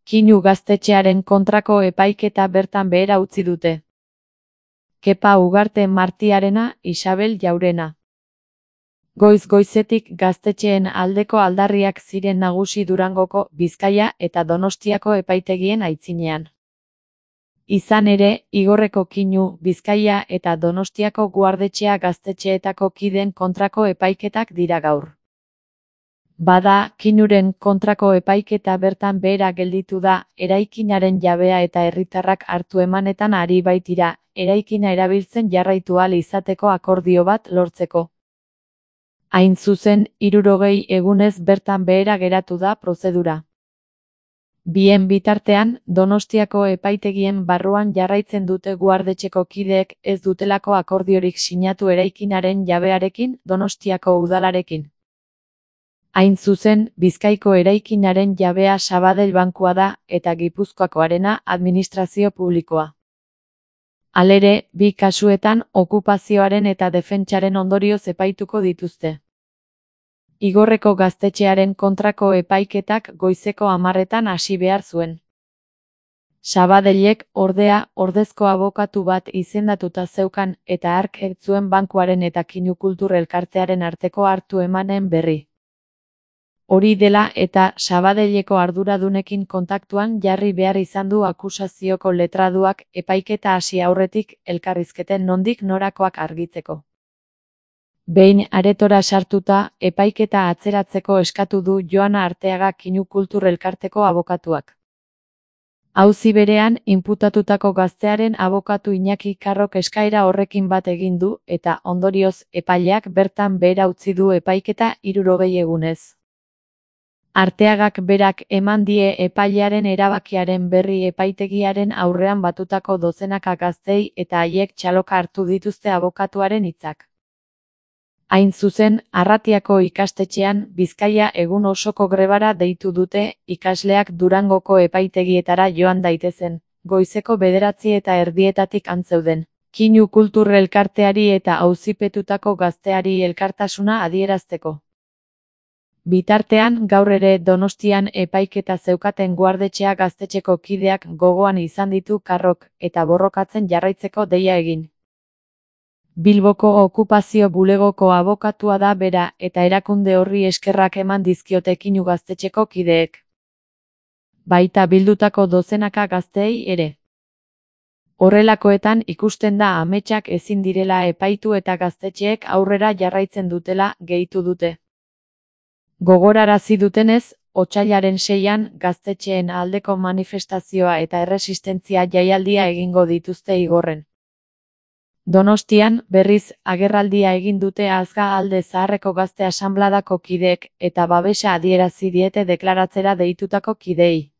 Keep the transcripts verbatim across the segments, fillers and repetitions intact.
Kinu gaztetxearen kontrako epaiketa bertan behera utzi dute. Kepa Ugarte Martiarena, Isabel Jaurena. Goiz-goizetik gaztetxeen aldeko aldarriak ziren nagusi Durangoko, Bizkaia eta Donostiako epaitegien aitzinean. Izan ere, Igorreko Kinu, Bizkaia eta Donostiako guardetxea gaztetxeetako kideen kontrako epaiketak dira gaur. Bada, Kinuren kontrako epaiketa bertan behera gelditu da, eraikinaren jabea eta herritarrak hartu emanetan ari baitira, eraikina erabiltzen jarraitu ahal izateko akordio bat lortzeko. Hain zuzen, hirurogei egunez bertan behera geratu da prozedura. Bien bitartean, Donostiako epaitegien barruan jarraitzen dute guardetxeko kideek ez dutelako akordiorik sinatu eraikinaren jabearekin, Donostiako udalarekin. Hain zuzen, Bizkaiko eraikinaren jabea Sabadell bankua da, eta Gipuzkoakoarena administrazio publikoa. Halere, bi kasuetan okupazioaren eta defentsaren ondorioz epaituko dituzte. Igorreko gaztetxearen kontrako epaiketak goizeko hamarretan hasi behar zuen. Sabadellek, ordea, ordezko abokatu bat izendatuta zeukan eta hark ez zuen bankuaren eta Kinu Kultur Elkartearen arteko hartu emanen berri. Hori dela eta Sabadelleko arduradunekin kontaktuan jarri behar izan du akusazioko letraduak epaiketa hasi aurretik elkarrizketen nondik norakoak argitzeko. Behin aretora sartuta, epaiketa atzeratzeko eskatu du Joana Arteaga Kinu Kultur Elkarteko abokatuak. Auzi berean, inputatutako gaztearen abokatu Iñaki Karrok eskaera horrekin bat egin du eta ondorioz epaileak bertan behera utzi du epaiketa hirurogei egunez. Arteagak berak eman die epailearen erabakiaren berri epaitegiaren aurrean batutako dozenaka gaztei eta haiek txaloka hartu dituzte abokatuaren hitzak. Hain zuzen, Arratiako ikastetxean Bizkaia egun osoko grebara deitu dute ikasleak Durangoko epaitegietara joan daitezen, goizeko bederatzi eta erdietatik antzeuden, Kinu Kultur Elkarteari eta auzipetutako gazteari elkartasuna adierazteko. Bitartean, gaur ere Donostian epaiketa zeukaten guardetxea gaztetxeko kideak gogoan izan ditu Karrok eta borrokatzen jarraitzeko deia egin. Bilboko okupazio bulegoko abokatua da bera eta erakunde horri eskerrak eman dizkiote Kinu gaztetxeko kideek. Baita bildutako dozenaka gazteei ere. Horrelakoetan ikusten da ametsak ezin direla epaitu eta gaztetxeek aurrera jarraitzen dutela gehitu dute. Gogorarazi dutenez, otsailaren seian gaztetxeen aldeko manifestazioa eta erresistentzia jaialdia egingo dituzte Igorren. Donostian, berriz, agerraldia egin dute Azga Alde Zaharreko Gazte Asanbladako kideek eta babesa adierazi diete deklaratzera deitutako kideei.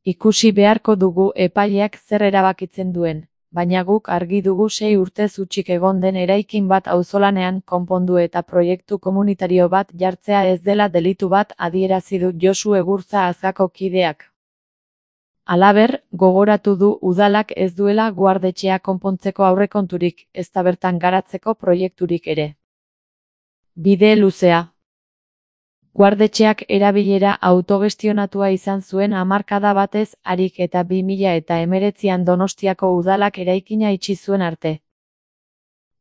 Ikusi beharko dugu epaileak zer erabakitzen duen, baina guk argi dugu sei urtez hutsik egon den eraikin bat auzolanean konpondu eta proiektu komunitario bat jartzea ez dela delitu bat adierazi du Josu Egurtza Azgako kideak. Halaber, gogoratu du udalak ez duela guardetxea konpontzeko aurrekonturik, ezta bertan garatzeko proiekturik ere. Bide luzea. Guardetxeak erabilera autogestionatua izan zuen hamarkada batez harik eta bi mila eta hemeretzian Donostiako udalak eraikina itxi zuen arte.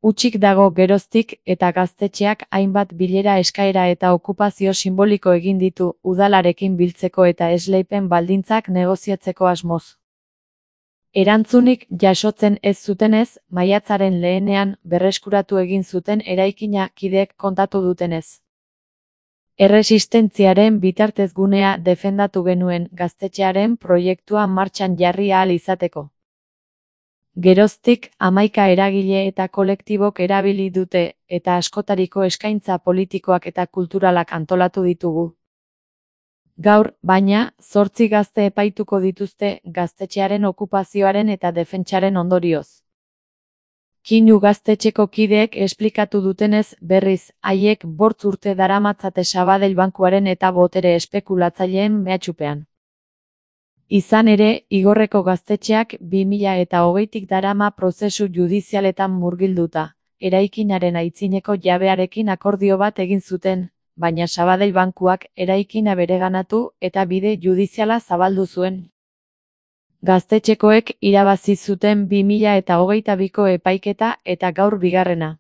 Hutsik dago geroztik eta gaztetxeak hainbat bilera eskaera eta okupazio simboliko egin ditu udalarekin biltzeko eta esleipen baldintzak negoziatzeko asmoz. Erantzunik jasotzen ez zutenez, maiatzaren lehenean berreskuratu egin zuten eraikina kideek kontatu dutenez. Erresistentziaren bitartezgunea defendatu genuen gaztetxearen proiektua martxan jarri ahal izateko. Geroztik, hamaika eragile eta kolektibok erabili dute, eta askotariko eskaintza politikoak eta kulturalak antolatu ditugu. Gaur, baina, zortzi gazte epaituko dituzte gaztetxearen okupazioaren eta defentsaren ondorioz. Kinu gaztetxeko kideek esplikatu dutenez, berriz, haiek bortz urte daramatzate Sabadell bankuaren eta botere espekulatzaileen mehatxupean. Izan ere, Igorreko gaztetxeak bi mila eta hogeitik darama prozesu judizialetan murgilduta, eraikinaren aitzineko jabearekin akordio bat egin zuten, baina Sabadell bankuak eraikina bereganatu eta bide judiziala zabaldu zuen. Gaztetxekoek irabazi zuten bi mila hogeita biko epaiketa eta gaur bigarrena.